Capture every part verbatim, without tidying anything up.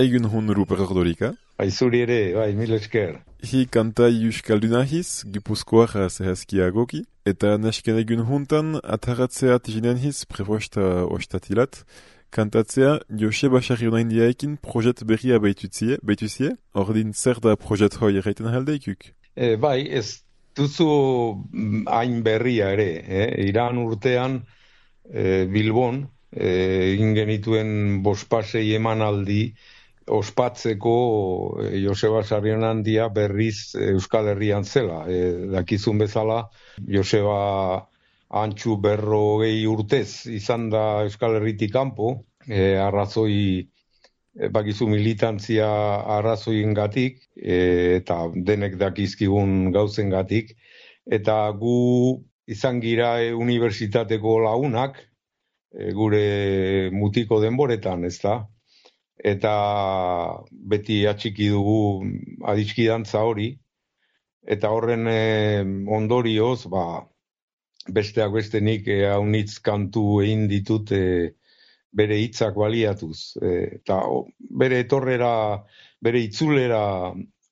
Egun hon Ruper Ordorika. Bai, zuri ere, bai, mil esker. Hi kantai euskaldunahiz, gipuzkoar zehazkiagoki, eta nesken egun hontan ataratzea tijinen hiz preposta ostatilat, kantatzea Joseba Sarrionaindiaekin projet berria baituzie, baituzie, ordin zer da projet hoi erraiten haldeikuk? E, bai, ez duzu hain berria ere, eh? Iran urtean e, Bilbon, e, ingenituen bospasei emanaldi, ospatzeko e, Joseba Sarrionandia berriz Euskal Herrian zela. E, dakizun bezala, Joseba antxu berrogei urtez izan da Euskal Herritik kanpo, e, arrazoi, e, bakizu militantzia arrazoiengatik, e, eta denek dakizkigun gauzengatik, eta gu izan gira e, unibertsitateko lagunak, e, gure mutiko denboretan, ez da? Eta beti atxiki dugu adiskidantza hori, eta horren e, ondorioz, ba, besteak beste nik e, haunitz kantu egin ditut e, bere hitzak baliatuz. E, eta o, bere etorrera, bere itzulera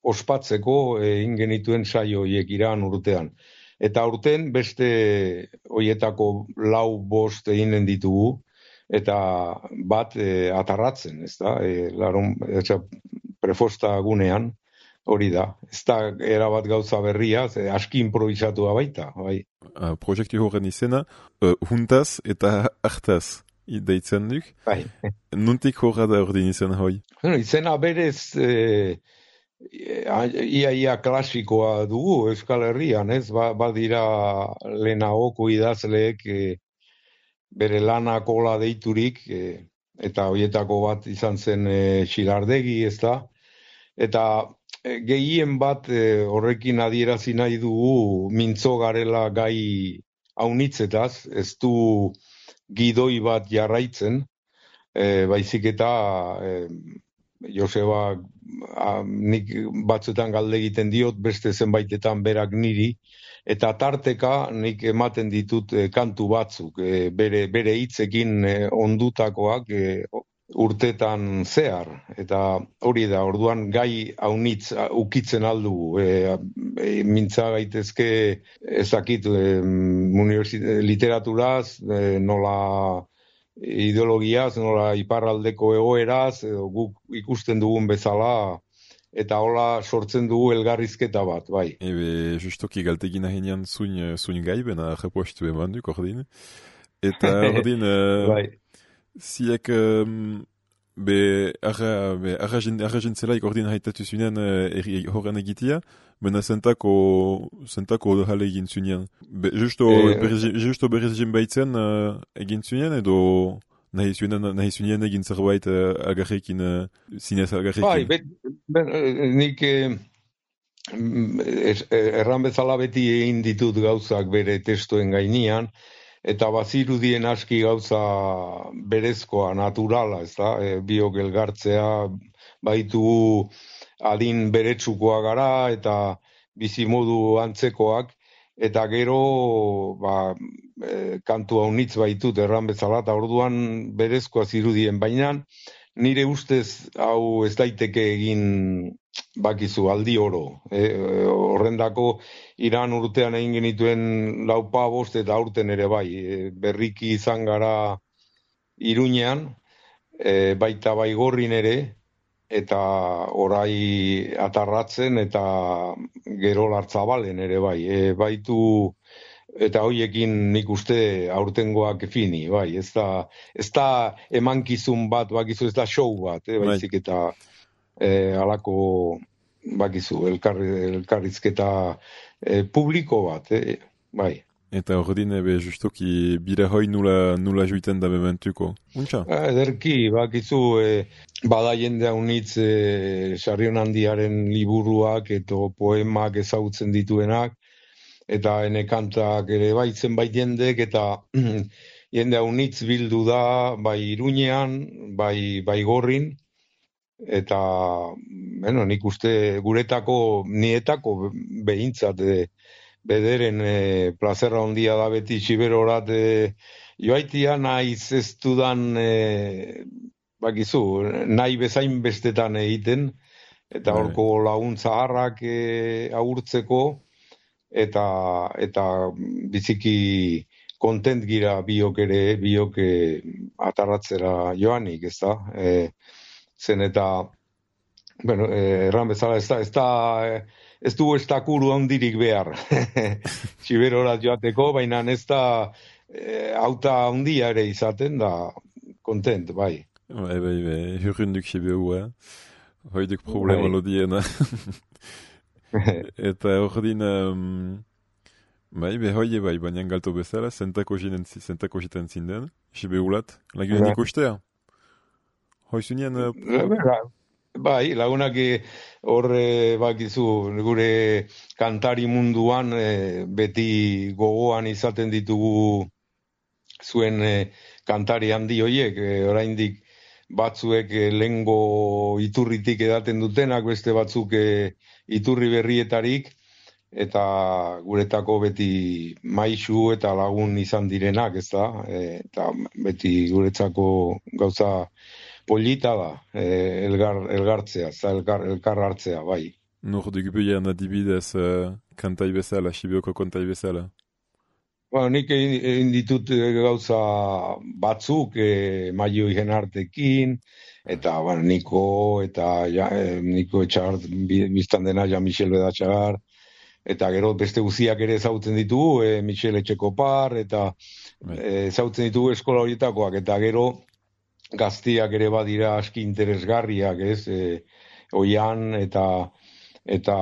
ospatzeko egin genituen saio horiek Iran urtean. Eta urten beste hoietako lau bost eginen ditugu, eta bat e, atarratzen, ez da, e, laron, ez, prefosta gunean, hori da. Ez da erabat gauza berria, ze aski improvisatua baita, bai. Uh, Projektu horren izena, uh, huntaz eta hartaz deitzen duk. Bai. Nuntik horra da ordin izan hoi? Bueno, izena berez e, ia ia klasikoa dugu Euskal Herrian, ez? Ba, badira lehenagoko idazleek e, bere lana kola deiturik, e, eta hoietako bat izan zen e, Xilardegi, ez da? Eta e, gehien bat e, horrekin adierazi nahi dugu mintzo garela gai haunitzetaz, ez du gidoi bat jarraitzen, e, baizik eta e, Joseba a, nik batzuetan galde egiten diot, beste zenbaitetan berak niri, eta tarteka nik ematen ditut e, kantu batzuk, e, bere, bere hitzekin e, ondutakoak e, urtetan zehar, eta hori da, orduan gai haunitz ukitzen aldugu, e, e, mintza gaitezke ezakit e, literaturaz, e, nola ideologiaz, nola iparraldeko egoeraz, edo guk ikusten dugun bezala, eta hola sortzen dugu elgarrizketa bat, bai. Ebe, justoki galtegin ahinean zuin, zuin gaibena repostu eman duk ordin. Eta ordin, uh, bai. ziek um, be arra, be arra jentzelaik ordin haitatu zunean uh, horren egitea, bena zentako, zentako jale egin zunean. Be, justo, E, berez, justo berez jen baitzen uh, egin zunean, edo nahi zunean, nahi zunean egin zerbait uh, agarrekin, uh, zinez agarrekin. bai, bet, bet, nik eh, erran bezala beti egin ditut gauzak bere testuen gainean, eta bazirudien aski gauza berezkoa, naturala, ez da, e, biok elgartzea, baitu adin beretsukoa gara, eta bizimodu antzekoak, eta gero ba, e, kantu haunitz baitut erran bezala, eta orduan berezkoa zirudien, baina nire ustez hau ez daiteke egin bakizu aldi oro. E, horrendako Iran urtean egin genituen laupa bost eta aurten ere bai. E, berriki izan gara Iruñean, e, baita Baigorrin ere, eta orai atarratzen eta gero Lartzabalen ere bai. E, baitu eta hoiekin nik uste aurtengoak fini, bai, ez da, ez da emankizun bat, bakizu, ez da show bat, eh, baizik eta eh, alako, bakizu, elkarri, elkarrizketa eh, publiko bat, eh, bai. Eta ordin, ebe, justoki bira hoi nula, nula juiten da bementuko. Untxa? Ederki, bakizu, eh, bada jende haunitz eh, Sarrionandiaren liburuak eta poemak ezagutzen dituenak, eta ene kantak ere baitzen bai jendek, eta jende haunitz bildu da, bai Iruñean, bai Baigorrin, eta, bueno, nik uste guretako, nietako behintzat, e, bederen e, plazerra ondia da beti xiberorat, e, joaitia naiz ez dudan e, bakizu, nahi bezain bestetan egiten, eta horko laguntza harrak e, agurtzeko, eta, eta biziki kontent gira biok ere, biok e, atarratzera joanik, ez da? E, zen eta, bueno, e, erran bezala, ez da, ez da, ez du estakuru handirik behar, Siberora joateko, baina ez da, e, auta handia ere izaten, da, kontent, bai. Bai, bai, bai, hurrunduk Siberu, eh? Hoiduk problema bai. Lodiena. Eta ordin, um, bai, be hoie bai, baina galto bezala, zentako jiten zinden, Sibeulat, lagunen ikustea. Hoizunien... Uh, bai, lagunak horre bakizu, gure kantari munduan e, beti gogoan izaten ditugu zuen e, kantari handi hoiek, e, oraindik batzuek e, lengo iturritik edaten dutenak, beste batzuk e, iturri berrietarik, eta guretako beti maisu eta lagun izan direnak, ez da? E, eta beti guretzako gauza polita da, e, elgar, elgartzea, elkar, elkar hartzea, bai. Nordik behian adibidez uh, kantai bezala, Sibioko kantai bezala? Ba, nik egin ditut gauza batzuk, e, Maio Igenartekin, eta ba, Niko, eta ja, e, Niko Etxart, biztan dena, ja Michel Bedatxagar, eta gero beste guziak ere zautzen ditugu, e, Michel Etxekopar, eta e, zautzen ditugu eskola horietakoak, eta gero gaztiak ere badira aski interesgarriak, ez? E, Oian eta eta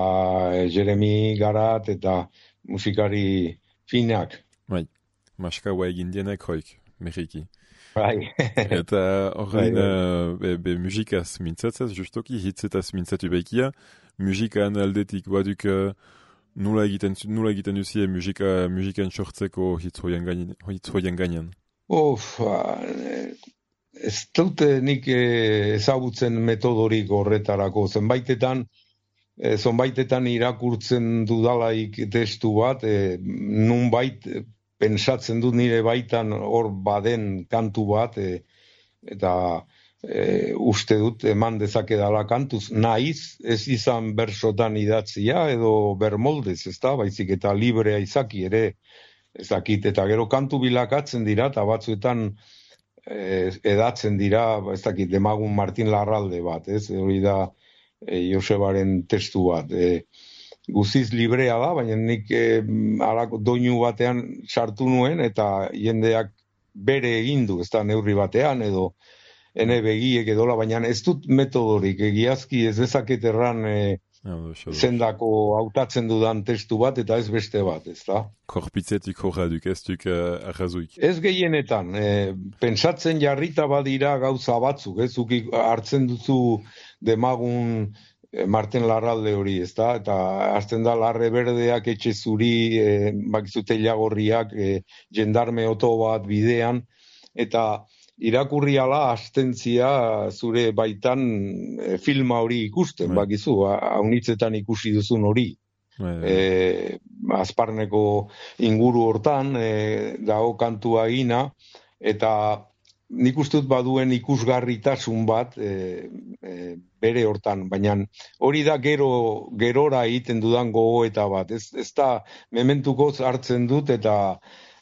Jeremy Garat eta musikari finak. Bai, maskaua egin dienek hoik, Mexiki. Bai. Eta horrein, uh, be, be musikaz mintzatzez, justoki, hitzetaz mintzatu behikia, musikan aldetik baduk uh, nula egiten, nula egiten duzie musika, musikan sortzeko hitz hoien gainean. Uf, ez dute nik ezagutzen metodorik horretarako. Zenbaitetan, e, zonbaitetan irakurtzen dudalaik testu bat, e, nunbait pensatzen dut nire baitan hor baden kantu bat, e, eta e, uste dut eman dezakedala kantuz. Naiz, ez izan bersotan idatzia edo bermoldez, ez da, baizik eta librea izaki ere, ez dakit, eta gero kantu bilakatzen dira, eta batzuetan edatzen dira, ez dakit, Demagun Martin Larralde bat, ez? Hori da e, Josebaren testu bat. E, guziz librea da, baina nik e, alako doinu batean sartu nuen, eta jendeak bere egin du, ez da neurri batean, edo ene begiek edola, baina ez dut metodorik, egiazki ez dezaket erran e, zendako hautatzen dudan testu bat, eta ez beste bat, ez da? Korpitzetik horra duk, ez duk uh, arrazuik. Ez gehienetan, e, pentsatzen jarrita badira gauza batzuk, ez ukik hartzen duzu Demagun Martin Larralde hori, ez da? Eta hartzen da Larre Berdeak, Etxe Zuri, e, bakizu Teilagorriak, e, jendarme oto bat bidean, eta irakurri ala astentzia zure baitan e, filma hori ikusten, right. Bakizu, haunitzetan ikusi duzun hori. Right. E, Azparneko inguru hortan, e, dago kantua egina, eta nik uste dut baduen ikusgarritasun bat e, e, bere hortan, baina hori da gero gerora egiten dudan gogoeta bat. Ez, ez da mementuko hartzen dut eta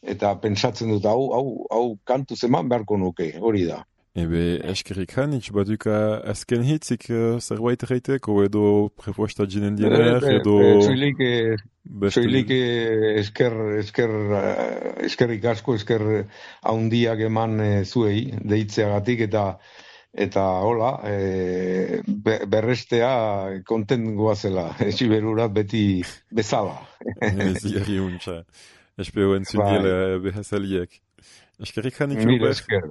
eta pentsatzen dut, hau, hau, hau kantu zeman beharko nuke, hori da. Ebe, eskerik hanitz, baduka azken hitzik uh, zerbait reiteko, edo prefosta jinen diener, edo... Zoilik, zoilik esker, esker, eskerrik asko, esker haundiak eman e, zuei, deitzeagatik, eta eta hola, e, berrestea kontent goazela, Siberurat beti bezala. Zierri untxa. Espero entzun dira behazaliak. Eskerrik hanik. Mil esker.